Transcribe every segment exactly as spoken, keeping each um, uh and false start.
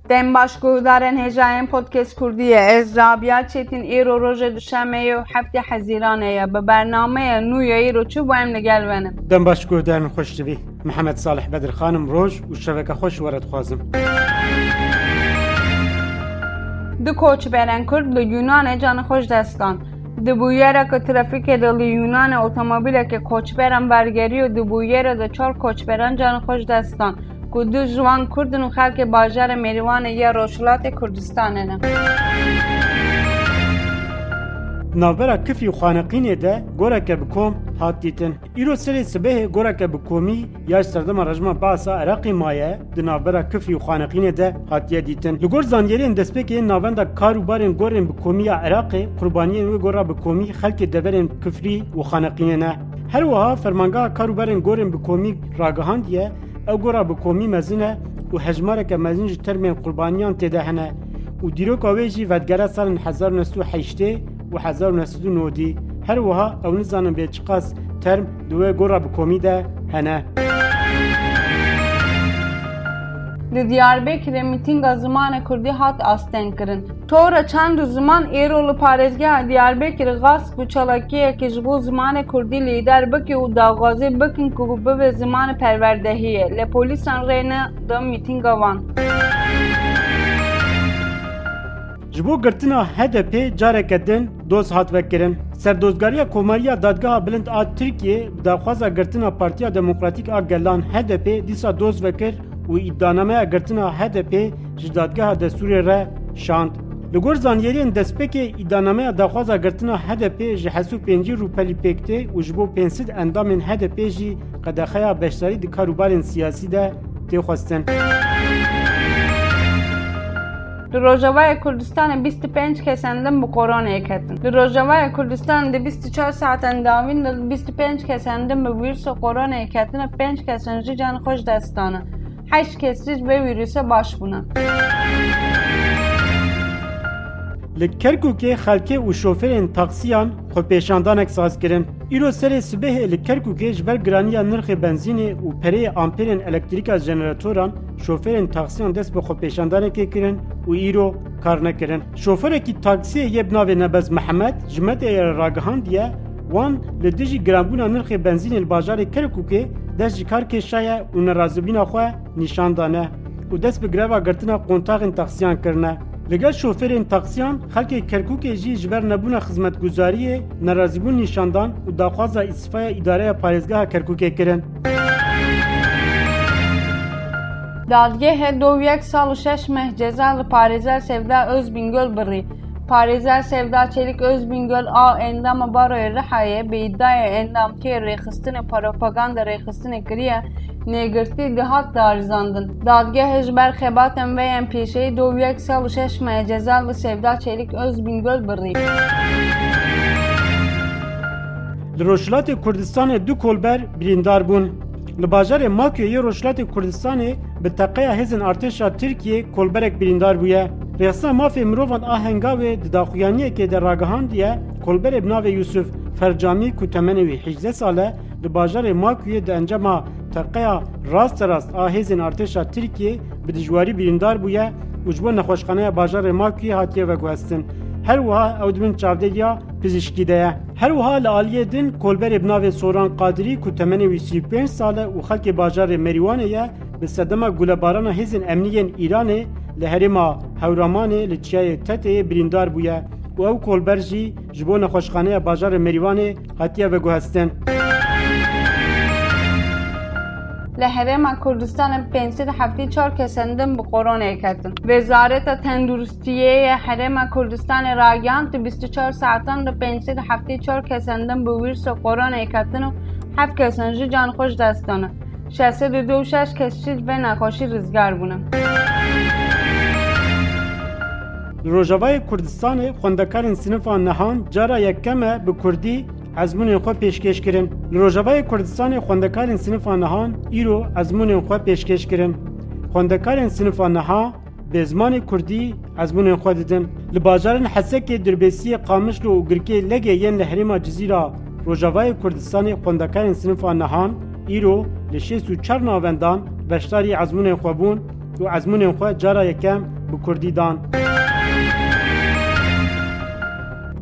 Dem baş guhdarên hêjayên Podcast Kurdî ye. Ez Rabia Çetin, îro rojê duşemê ye û heftê Hezîranê ye. Bi bernameya nû ya îro çi bû, em li gel venin. Dem baş guhdarên xweştivî. Mihemed Salih Bedirxan im, roj û şeveke xweş were dixwazim. Du koçberên Kurd li Yûnanê canê xwe ji dest dan. Di bûyereke trafîkê de li Yûnanê otomobîleke koçberan bergerî û di bûyerê de çar koçberan canê xwe ji dest dan, ku du ji wan Kurd in û xelkê bajarê Mêrîwanê ya Rojhilatê Kurdistanê ne. Navbera Kifrî û Xaneqînê de goreke bi kom hat dîtin. Îro serê sibehê goreke bi komî ya ji serdema rejima Be'sa Iraqê maye, di navbera Kifrî û Xaneqînê de hatiye dîtin. Li gor zanyariyên destpêkê, navenda kar û barên gorên bi komî ya Iraqê, qurbaniyên wê gora bi komî xelkê deverên Kifrî û Xaneqînê ne. Her wiha Fermangeha Kar û Barên Gorên bi Komî ragihandiye, ew gora bi komî mezin e û hejmareke mezin ji termên qurbaniyan tê de hene û dîroka wê jî vedgere salên hezar û neh sed û heştê û hezar û neh sed û nodî. Her wiha ew nizanin bê çiqas term di wê gora bi komî de hene. Li Diyarbekirê mîtînga zimanê kurdî hat astengkirin. Tora çand û ziman êro li parêzgeha Diyarbekirê gasp û çalakiyekê ji bo zimanê kurdî lîder bike û daxwazê bikin ku bibe zimanê perwerdehiyê. Lê polîsan rê neda mîtînga wan. Ji bo girtina H D P careke din doz hat vekirin. Serdozgariya Komariya Dadgeha Bilind a Tirkiyê bi daxwaza girtina Partiya Demokratîk a Gelan, H D P, dîsa doz vekir û îddianameya girtina H D P ji Dadgeha Destûrê re şand. Li gor zanyariyên destpêkê, îddianameya daxwaza girtina H D P ji heşt û pêncî rûpelî pêk tê û ji bo pênc sed endamên H D P jî qedexeya beşdarî di karûbarên siyasî de tê xwestin. Li Rojavayê Kurdistanê bîst û pênc kesên din bi koronayê ketin. Li Rojavayê Kurdistanê di bîst û çar saetên dawîn de bîst û pênc kesên din bi vîrusa koronayê ketine, pênc kesên jî can xwe ji dest dane. Heşt kes jî ji vê vîrusê baş bûne. Li Kerkûkê xelkê û şofêrên taksiyan xwepêşandanek saz kirin. Îro serê sibehê li Kerkûkê ji ber giraniya nirxê benzînê û pereyê amperên elektrîka jeneratoran şofêrên taksiyan dest bi xwepêşandanekê kirin û îro kar nekirin. Şofêrekî taksiyê yê bi navê Nebez Mihemed ji medyayê re ragihandiye, wan li dijî giranbûna nirxê benzînê li bajarê Kerkûkê dest ji kar kêşaye û nerazîbûna xwe nîşan dane û dest bi greva girtina kontaxên taksiyan kirine. Li gel şofêrên taksiyan, xelkê Kerkûkê jî ji ber nebûna xizmetguzariyê nerazîbûn nîşan dan û daxwaza îstîfaya îdareya parêzgeha Kerkûkê kirin. Dadgehê do û yek sal û şeş meh ceza li parêzer Sevda Özbingöl birî. Parêzer Sevda Çelik Özbingöl a endama Baroyê Rihayê bi îdiaya endamtiyê rêxistinê propaganda rêxistinê kiriye, nêgirtî dihat darizandin. Dadgehê ji ber xebatên vê yên pêşeyî do û yek sal û şeş meh ceza li Sevda Çelik Özbingöl birî. Li Rojhilatê Kurdistanê du kolber birîndar bûn. Li bajarê Makûyê yê Rojhilatê Kurdistanê bi teqeya hêzên artêşa Tirkiyê kolberek birîndar bûye. Rêxistina Mafê Mirovan a Hengavê di daxuyaniyekê de ragihandiye, kolberê bi navê Yusuf Fercamî ku temenê wî hejdeh sal e, li bajarê Makûyê di encama teqeya rasterast a hêzên artêşa Tirkiyê bi dijwarî birîndar bûye û ji bo nexweşxaneya bajarê Makûyê hatiye veguhestin. Her wiha ew di bin çavdêriya pizîşkî de ye. Her wiha li aliyê din kolberê bi navê Soran Qadirî ku temenê wî sî û pênc sal e û xelkê bajarê Merîwanê ye, bi sedema gulebarana hêzên emnî yên Îranê li herêma Hewramanê li çiyayê Teteyê birîndar bûye û ew kolber jî ji bo nexweşxaneya bajarê Merîwanê hatiye veguhestin. Li Herêma Kurdistanê pênc sed heftê çar kesên din bi koronayê ketin. Wezareta Tenduristiyê yê Herêma Kurdistanê ragihand, di bîst û çar saetan de pênc sed heftê çar kesên din bi wîrusa koronayê ketin û heft kesên jî can xwe ji dest dane. Şeş sed û du û şeş kes jî ji vê nexweşî rizgar bûne. Li Rojavayê Kurdistanê xwendekarên sinifa nehan cara yekem e bi kurdî ezmûnên xwe pêşkêş kirin. Li Rojavayê Kurdistanê xwendekarên sinifa nehan îro ezmûnên xwe pêşkêş kirin. Xwendekarên sinifa neha bi zimanê kurdî ezmûnên xwe didin. Li bajarên Hesekê, Dirbêsiyê, Qamişlo û Girkê Legê yên li herêma Cizîra Rojavayê Kurdistanê xwendekarên sinifa nehan îro li şêst û çar navendan beşdarî ezmûnên xwe bûn. û ezmûnên xwe cara yekem bi kurdî dan.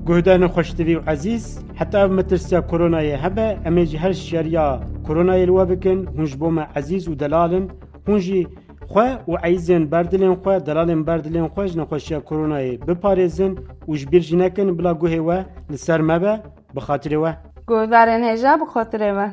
Guhdarên xweştivî û ezîz, heta ev metirsiya koronayê hebe, em ê jî her şiyariya koronayê li we bikin. Hûn ji bo me ezîz û delal in. Hûn jî xwe û ezîzên berdilên xwe, delalên berdilên xwe ji nexweşiya koronayê biparêzin û ji bîr jî nekin, bila guhê we li ser me be, bi xatirê we. Guhdarên hêja, bi xatirê we.